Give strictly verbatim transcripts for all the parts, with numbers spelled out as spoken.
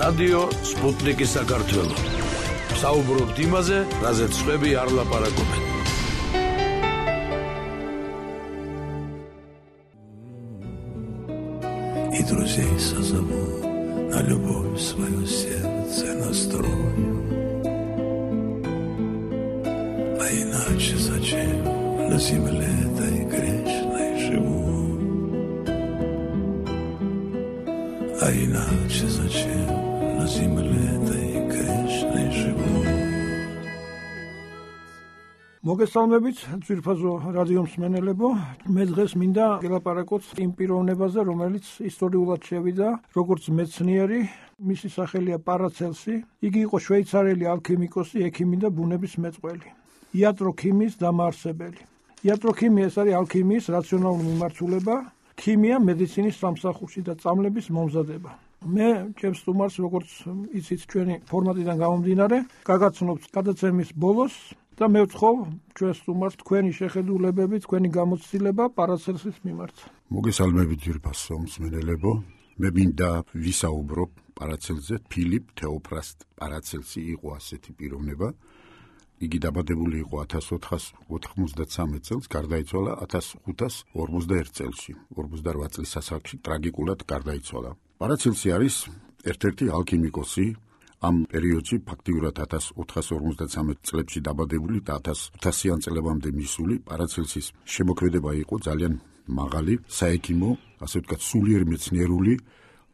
რადიო სპუტნიკი საქართველო. საუბრობთ იმაზე, რაზეც სხვები არ ლაპარაკობენ. И друзей созову, на любовь свое сердце настрою. А иначе зачем на земле этой грешной живу? А иначе зачем на земле этой грешной живу? მოგესალმებით ძვირფასო რადიო მსმენელებო, მე დღეს მინდა გელაპარაკოთ იმ პიროვნებაზე, რომელიც ისტორიულად შევიდა როგორც მეცნიერი, მისი სახელია პარაცელსი. იგი იყო შვეიცარიელი ალქიმიკოსი, ექიმი და ბუნების მეწყვლელი, იატროქიმიის დამაარსებელი. იატროქიმია ეს არის ალქიმიის რაციონალური მიმართულება, ქიმია მედიცინის სამსახურში და წამლების მომზადება. მე ჩემს სტუმარს, როგორც იცით ჩვენი ფორმატიდან გამომდინარე, გაგაცნობთ გადაცემის ბოლოს და მე ვთხოვ ჩვენს სტუმარს თქვენი შეხედულებები, თქვენი გამოცდილება პარაცელსის მიმართ. მოგესალმებით ძვირფასო მსმენელებო, მე მინდა ვისაუბრო პარაცელსზე. ფილიპ თეოფრასტ პარაცელსი იყო ასეთი პიროვნება. იგი დაბადებული იყო ათას ოთხას ოთხმოცდათსამეტ წელს, გარდაიცვალა ათას ხუთას ორმოცდაერთ წელში, ორმოცდარვა წლის ასაკში ტრაგიკულად გარდაიცვალა. პარაცელსი არის ერთ-ერთი ალქიმიკოსი, ამ პერიოდში ფაქტიურად ათას ოთხას ორმოცდათსამეტ წლებში დაბადებული და ათასიან წლებამდე მისული. პარაცელსის შემოქმედება იყო ძალიან მაღალი, საექიმო, ასე ვთქვათ, სულიერ მეცნიერული,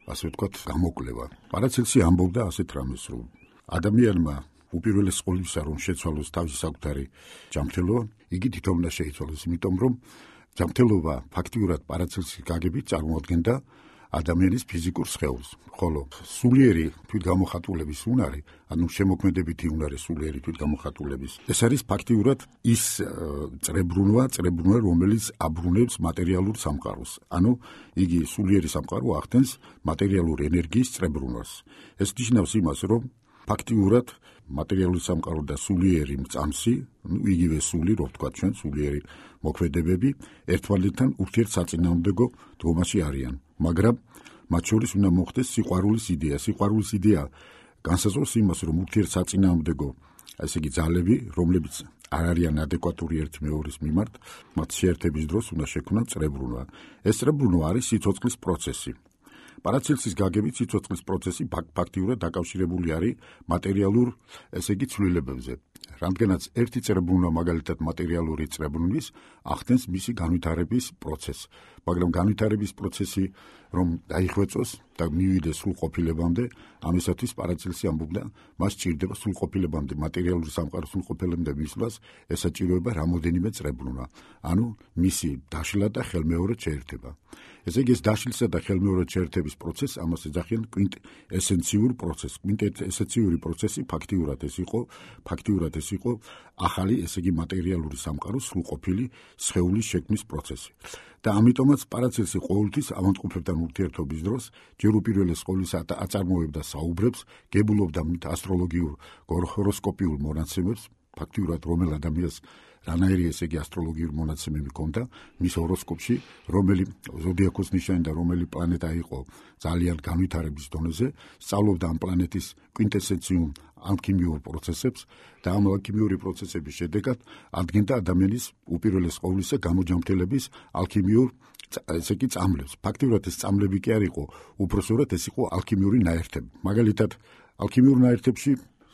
ასე ვთქვათ, გამოკვლევა. პარაცელსი ამბობდა ასეთ რამეს, რომ ადამიანმა უპირველეს ყოვლისა რომ შეცვალოს თავისი საკუთარი ჯანმრთელობა, იგი თვითონ უნდა შეიცვალოს, იმიტომ რომ ჯანმრთელობა ფაქტიურად პარაცელსის გაგებით წარმოადგენდა ადამიანის ფიზიკურ სხეულს, ხოლო სულიერი თვითგამოხატულების უნარი, ანუ შემოქმედებითი უნარი სულიერი თვითგამოხატულების, ეს არის ფაქტიურად ის წრებრუნვა, წრებრუნვა, რომელიც აბრუნებს მატერიალურ სამყაროს. ანუ იგი სულიერი სამყარო ახდენს მატერიალური ენერგიის წრებრუნვას. ეს ნიშნავს იმას, რომ ფაქტიურად მატერიალური სამყარო და სულიერი მწამსი, ну იგივე სული, რო ვთქვათ ჩვენ, სულიერი მოქმედებები ერთმანეთთან ურთიერთსაწინააღმდეგო დგომაში არიან. მაგრამ მათ შორის უნდა მოხდეს სიყვარულის იდეა. სიყვარულის იდეა განსაზღვრავს იმას, რომ ურთიერთსაწინააღმდეგო, ესე იგი ძალები, რომლებიც არ არიან ადეკვატური ერთი მეორის მიმართ, მათ შეერთების დროს უნდა შექმნან წრებრუნვა. ეს წრებრუნვა არის სიცოცხლის პროცესი. პარაცელსის გაგებით სიცოცხლის პროცესი ფაქტიურად დაკავშირებული არის მატერიალურ, ესე იგი ცვლილებებზე. რამდენიც ერთი წრებრუნვა მაგალითად მატერიალური წრებრუნვის ახდენს მისი განვითარების პროცესს, მაგრამ განვითარების პროცესი რომ დაიხვეწოს და მივიდეს სრულყოფილებამდე, ამისათვის პარაცელსი ამბობდა, მას სჭირდება სრულყოფილებამდე, მატერიალური სამყაროს სრულყოფილებამდე მისვლას, ესაჭიროება რამოდენიმე წრებრუნვა, ანუ მისი დაშლა და ხელმეორედ შეერთება. ესე იგი ეს დაშლისა და ხელმეორედ შეერთების პროცესს ამას ეძახიან კვინტესენციურ პროცესს. კვინტესენციური პროცესი ფაქტიურად ეს იყო, ფაქტიურად ეს იყო ახალი, ესე იგი მატერიალური სამყაროს სრულყოფილი სხეულის შექმნის პროცესი. და ამიტომაც პარაცელსი ყოველთვის ავადმყოფებთან ურთიერთობის დროს ჯერ უპირველეს ყოვლისა აწარმოებდა საუბრებს, გებულობდა ასტროლოგიურ, ჰოროსკოპიურ მონაცემებს, ფაქტიურად რომელ ადამიანს რანაირი ესე იგი ასტროლოგიურ მონაცემები ჰქონდა მის ჰოროსკოპში, რომელი ზოდიაქოს ნიშანი და რომელი პლანეტა იყო ძალიან განვითარების დონეზე, სწავლობდა ამ პლანეტის კვინტესენციურ ალქიმიურ პროცესებს და ამ ალქიმიური პროცესების შედეგად ადგენდა ადამიანის უპირველეს ყოვლისა გამოჯანმრთელების ალქიმიურ ესე იგი წამლებს. ფაქტიურად ეს წამლები კი არ იყო, უпроსორად ეს იყო ალქიმიური ნაერთები. მაგალითად, ალქიმიურ ნაერთებში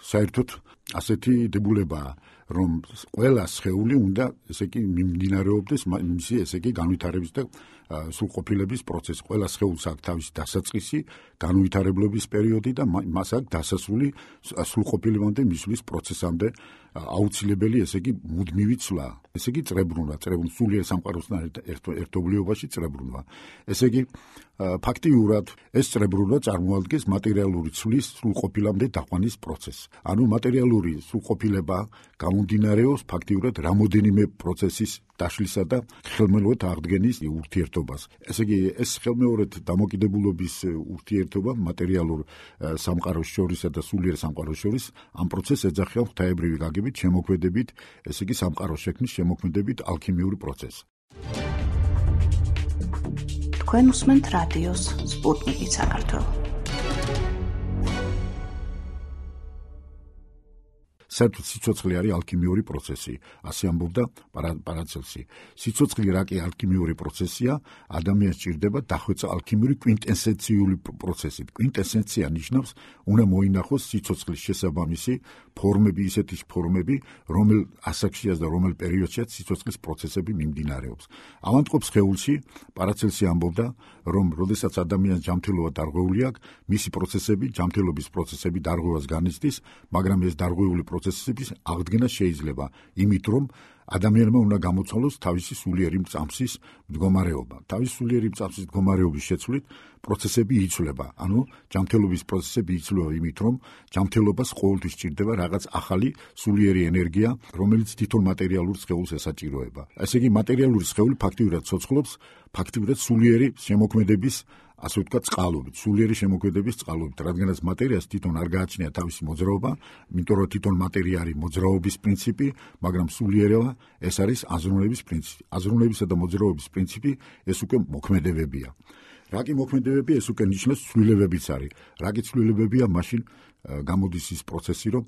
საერთოდ ასეთი დებულებაა, რომ ყველა სხეული უნდა ესე იგი მიმდინარეობდეს მისი ესე იგი განვითარების და სრულყოფილების პროცესი. ყველა სხეულს აქვს თავისი დასაწყისი, განვითარებლობის პერიოდი და მას აქვს დასასრული სრულყოფილებამდე მისვლის პროცესამდე აუცილებელი ესე იგი მუდმივი ცვლა. ესე იგი წრებრუნვა, წრებრუნვა სულიერ სამყაროსთან ერთობლიობაში წრებრუნვა. ესე იგი ფაქტიურად ეს წრებრუნვა წარმოადგენს მატერიალური ცვლის სრულყოფილამდე დაყვანის პროცესს. ანუ მატერიალური სრულყოფილება გამომდინარეობს ფაქტიურად რამოდენიმე პროცესის დაშლისა და ხელმეორედ აღდგენის ურთიერთობას. ესე იგი ეს ხელმეორედ დამოკიდებულობის ურთიერთობა მატერიალურ სამყაროს შორისა და სულიერ სამყაროს შორის ამ პროცესს ეძახიან ღვთაებრივი გაგებით, შემოქმედებით, ესე იგი სამყაროს შექმნის შემოქმედებით ალქიმიური პროცესი. თქვენ უსმენთ რადიოს სპუტნიკი საქართველო. საერთოდ სიცოცხლე არის ალქიმიური პროცესი, ასე ამბობდა პარაცელსი. სიცოცხლე რა კი ალქიმიური პროცესია, ადამიანს ჭირდება დახვეწა ალქიმიური კვინტესენციული პროცესით. კვინტესენცია ნიშნავს, უნდა მოინახოს სიცოცხლის შესაბამისი ფორმები, ისეთი ფორმები, რომელ ასაკშიაც და რომელ პერიოდშიაც სიცოცხლის პროცესები მიმდინარეობს. ავადმყოფ სხეულში პარაცელსი ამბობდა, რომ როდესაც ადამიანს ჯანმრთელობა დარღვეული აქვს, მისი პროცესები, ჯანმრთელობის პროცესები დარღვევას განიცდის, მაგრამ ეს დარღვეული პროცესების აღდგენა შეიძლება იმით, რომ ადამიანმა უნდა გამოცვალოს თავისი სულიერი მწამსის მდგომარეობა. თავისი სულიერი მწამსის მდგომარეობის შეცვლით პროცესები იცვლება. ანუ ჯანმრთელობის პროცესები იცვლება იმით, რომ ჯანმრთელობას ყოველთვის სჭირდება რაღაც ახალი სულიერი ენერგია, რომელიც თვითონ მატერიალურ სხეულს ესაჭიროება. ესე იგი, მატერიალური სხეული ფაქტიურად ცოცხლობს, ფაქტიურად სულიერი შემოქმედების ასე ვთქვათ, წყალობით, სულიერი შემოქმედების წყალობით, რადგანაც მატერიას თვითონ არ გააჩნია თავისი მოძრაობა, იმიტომ რომ თვითონ მატერია არის მოძრაობის პრინციპი, მაგრამ სულიერება ეს არის აზროვნების პრინციპი. აზროვნებისა და მოძრაობის პრინციპი ეს უკვე მოქმედებებია. რა კი მოქმედებები, ეს უკვე ნიშნავს ცვლილებებიც არის. რა კი ცვლილებებია, მაშინ გამოდის ის პროცესი, რომ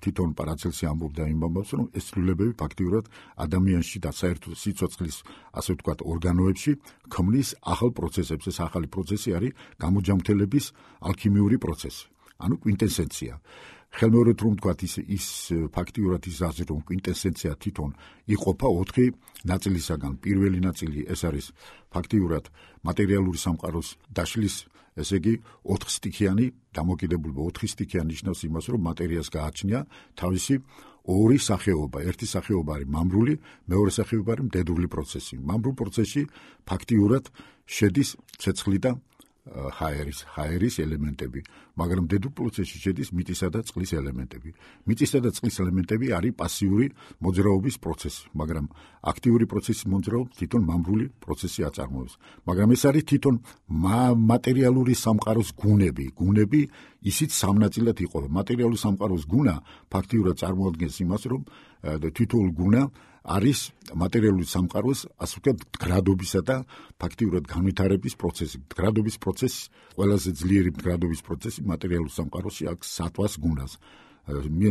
თვითონ პარაცელსი ამბობდა იმ ამბავს, რომ ეს ცვლილებები ფაქტიურად ადამიანში და საერთოდ სიცოცხლის, ასე ვთქვათ, ორგანოებში ქმნის ახალ პროცესებს. ეს ახალი პროცესი არის გამოჯანმრთელების ალქიმიური პროცესი, ანუ კვინტესენცია. ხელმეორედ რომ ვთქვათ, ის ის ფაქტიურად ის აზრი, რომ კვინტესენცია თვითონ იყოფა ოთხი ნაწილისაგან. პირველი ნაწილი ეს არის ფაქტიურად მატერიალური სამყაროს დაშლის, ესე იგი ოთხსტიქიანი დამოკიდებულება. ოთხსტიქიანი ნიშნავს იმას, რომ მატერიას გააჩნია თავისი ორი სახეობა. ერთი სახეობა არის მამრული, მეორე სახეობა არის მდედრული პროცესი. მამრულ პროცესში ფაქტიურად შედის ცეცხლი და ჰაერის, ჰაერის ელემენტები, მაგრამ მდედრულ პროცესში შედის მიწისა და წყლის ელემენტები. მიწისა და წყლის ელემენტები არის პასიური მოძრაობის პროცესი, მაგრამ აქტიური პროცესის მოძრაობა თვითონ მამრული პროცესი აწარმოებს. მაგრამ ეს არის თვითონ მატერიალური სამყაროს გუნები. გუნები ისიც სამ ნაწილად იყოფა. მატერიალური სამყაროს გუნა ფაქტიურად წარმოადგენს იმას, რომ თითოეულ გუნა არის მატერიალური სამყაროს, ასე ვთქვათ, გრადობისა და ფაქტიურად განვითარების პროცესი. გრადობის პროცესი, ყველაზე ძლიერი გრადობის პროცესი მატერიალურ სამყაროში აქვს სატვას გუნას.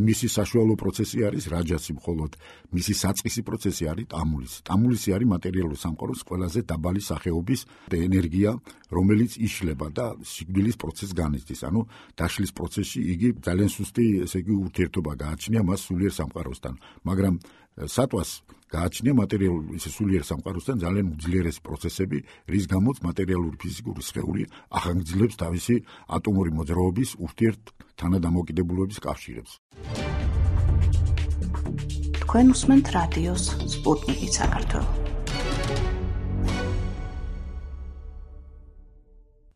მისი საშუალო პროცესი არის რაჯასი, მხოლოდ მისი საწყისი პროცესი არის ტამულისი. ტამულისი არის მატერიალურ სამყაროს ყველაზე დაბალი სახეობის ენერგია, რომელიც იშლება და სიკვდილის პროცესს განიცდის. ანუ დაშლის პროცესში იგი ძალიან სუსტი, ესე იგი, ურთიერთობა გააჩნია მას სულიერ სამყაროსთან, მაგრამ სატვას გააჩნია მატერიალური სულიერ სამყაროსთან ძალიან უძლიერესი პროცესები, რის გამოც მატერიალური ფიზიკური სხეული ახანგრძლივებს თავისი ატომური მოძრაობის ურთიერთ თანადამოკიდებულების კავშირებს. თქვენ უსმენთ რადიოს სპუტნიკი საქართველო.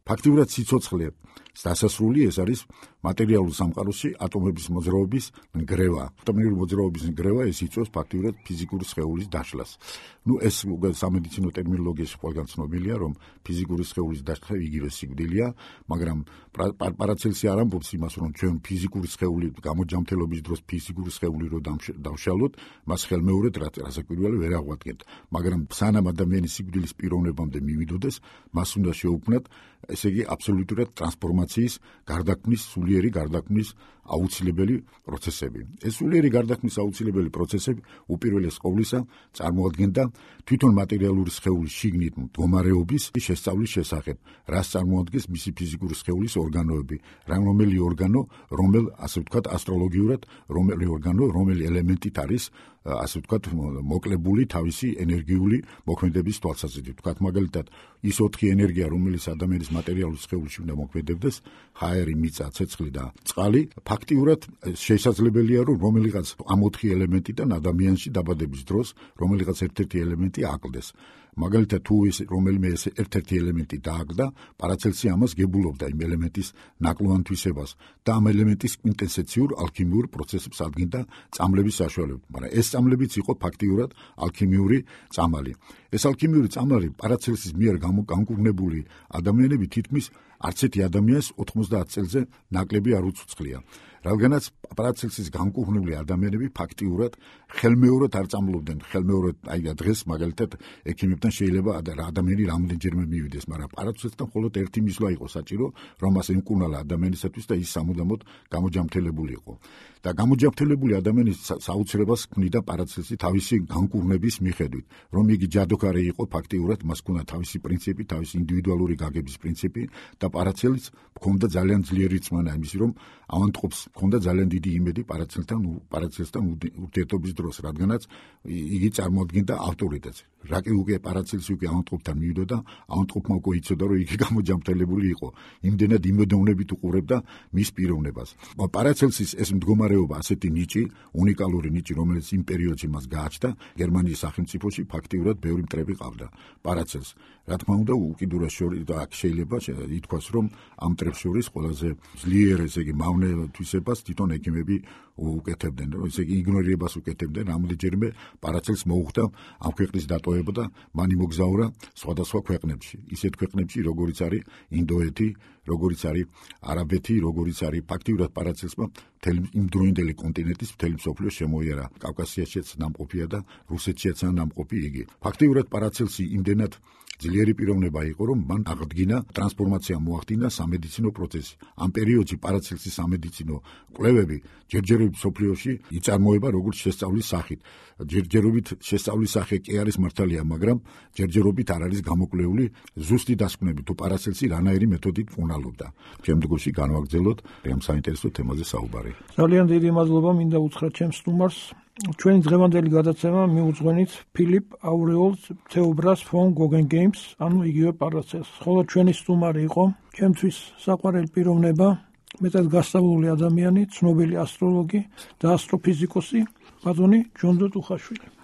ფაქტიურად სიცოცხლე დასასრული ეს არის მატერიალურ სამყაროში ატომების მოძრაობის ნგრევა. ატომური მოძრაობის ნგრევა ეს იწვევს ფაქტიურად ფიზიკური სხეულის დაშლას. ნუ ეს სამედიცინო ტერმინოლოგიაში ყველგან ცნობილია, რომ ფიზიკური სხეულის დაშლა იგივე სიკვდილია, მაგრამ პარაცელსი არ ამბობს იმას, რომ ჩვენ ფიზიკური სხეული გამოჯანმრთელობის დროს ფიზიკური სხეული რო დავშალოთ, მას ხელმეორედ რასაკვირველი ვერ აღვადგენთ, მაგრამ სანამ ადამიანის სიკვდილის პიროვნებამდე მივიდოდეს, მას უნდა შეუქმნათ, ესე იგი აბსოლუტურად ტრანსფორმაციის გარდაქმნის, სულიერი გარდაქმნის აუცილებელი პროცესები. ეს სულიერი გარდაქმნის აუცილებელი პროცესები უპირველეს ყოვლისა წარმოადგენდა თვითონ მატერიალური სხეულის შიგნით მდგომარეობის შესწავლის შესახებ, რაც წარმოადგენს მისი ფიზიკური სხეულის ორგანოები, რომელი ორგანო, რომელ ასე ვთქვათ ასტროლოგიურად, რომელი ორგანო, რომელი ელემენტით არის ასე ვთქვათ მოკლებული თავისი ენერგიული მოქმედების თვალსაზრისით. ვთქვათ მაგალითად, ის ოთხი ენერგია, რომელიც ადამიანის მატერიალურ სხეულში უნდა მოქმედებდეს, ჰაერი, მიწა, ცეცხლი და წყალი, ფაქტიურად შესაძლებელია, რომ რომელიღაც ამ ოთხი ელემენტიდან ადამიანში დაბადების დროს რომელიღაც ერთ-ერთი ელემენტი აკლდეს. მაგალითად, თუ ეს რომელიმე ეს ერთ-ერთი ელემენტი დააგდა, პარაცელსი ამას გებულობდა იმ ელემენტის ნაკლოვან თვისებას და ამ ელემენტის კვინტესენციურ ალქიმიურ პროცესებს ადგენდა წამლების საშუალებით, მაგრამ ეს წამლებიც იყო ფაქტიურად ალქიმიური წამალი. ბესალქიმიური წამლარი პარაცელსის მიერ გამოგანკურნებული ადამიანები თითქმის არც ერთი ადამიანს ოთხმოცდაათ წელზე ნაკლები არ უცოცხლია. რადგანაც პარაცელსის განკურნებული ადამიანები ფაქტიურად ხელმეორედ არ წამლობდნენ. ხელმეორედ აი დღეს მაგალითად ექიმებთან შეიძლება ადამიანი რამდენჯერმე მივიდეს, მაგრამ პარაცელსთან მხოლოდ ერთი მისვლა იყო საჭირო, რომ მას ემკურნალა ადამიანისათვის და ის სამუდამოდ გამოჯამთელებული იყო. და გამოჯამთელებული ადამიანის საოცრებას ქმნიდა პარაცელსი თავისი განკურნების მიხედვით, რომ იგი ჯადოქარი იყო ფაქტიურად, მას ჰქონდა თავისი პრინციპი, თავისი ინდივიდუალური გაგების პრინციპი და პარაცელს ჰქონდა ძალიან ძლიერი რწმენა იმისი, რომ ავანტყოფს ჰქონდა ძალიან დიდი იმედი პარაცელთან პარაცელსთან ურთიერთობის დროს, რადგანაც იგი წარმოადგენდა ავტორიტეტს. რაკი უკვე პარაცელსი უკვე ავანტყოფთან მივიდა, ავანტყოფმა უკვე იცოდა, რომ იგი გამოჯამთელებული იყო. იმდენად იმედოვნებით უყურებდა მის პიროვნებას. პარაცელსის ეს მდგომარეობა ასეთი ნიჭი, უნიკალური ნიჭი, რომელიც იმ პერიოდში მას გააჩნდა, გერმანიის სახელმწიფოში ფაქტიურად ბევრი მტრები ყავდა პარაცელს. რა თქმა უნდა, უკიდურეს შორის და აქ შეიძლება ითქვას, რომ ამ მტრებს შორის ყველაზე ძლიერ, ესე იგი, მავნე თვისებას თვითონ ექიმები უკეთებდნენ, ესე იგი, იგნორირებას უკეთებდნენ. რამდენჯერმე პარაცელს მოუხდა ამ ქვეყნის დატოვება და მან იმოგზაურა სხვადასხვა ქვეყნებში. ისეთ ქვეყნებში, როგორიც არის ინდოეთი, როგორიც არის არაბეთი, როგორიც არის ფაქტიურად პარაცელსმა მთელი იმდროინდელი კონტინენტის მთელი მსოფლიო შემოიარა. კავკასიაშიც ნამყოფია და რუსეთშიც ნამყოფი იგი. ფაქტიურად პარაცელსი იმდენად ძლიერი პიროვნება იყო, რომ მან აღდგინა ტრანსფორმაცია მოახდინა სამედიცინო პროცესი. ამ პერიოდში პარაცელსის სამედიცინო კვლევები ჯერჯერობით მსოფლიოში იწარმოება როგორც შესწავლის სახით. ჯერჯერობით შესწავლის სახე კი არის მართალია, მაგრამ ჯერჯერობით არ არის გამოკვლეული ზუსტი დასკვნები თუ პარაცელსი რანაირი მეთოდით მკურნალობდა. შემდგომში განვაგრძელოთ ამ საინტერესო თემაზე საუბარი. ძალიან დიდი მადლობა მინდა უთხრა ჩემს სტუმარს. ჩვენი დღევანდელი გადაცემა მიუძღვენით ფილიპ აურეოლს თეობრას ფონ გოგენგეიმს, ანუ იგივე პარაცელს. ხოლო ჩვენი სტუმარი იყო ჩემთვის საყვარელი პიროვნება, მეტად გასწავლული ადამიანი, ცნობილი ასტროლოგი და ასტროფიზიკოსი ბატონი ჯონ დო ტუხაშვილი.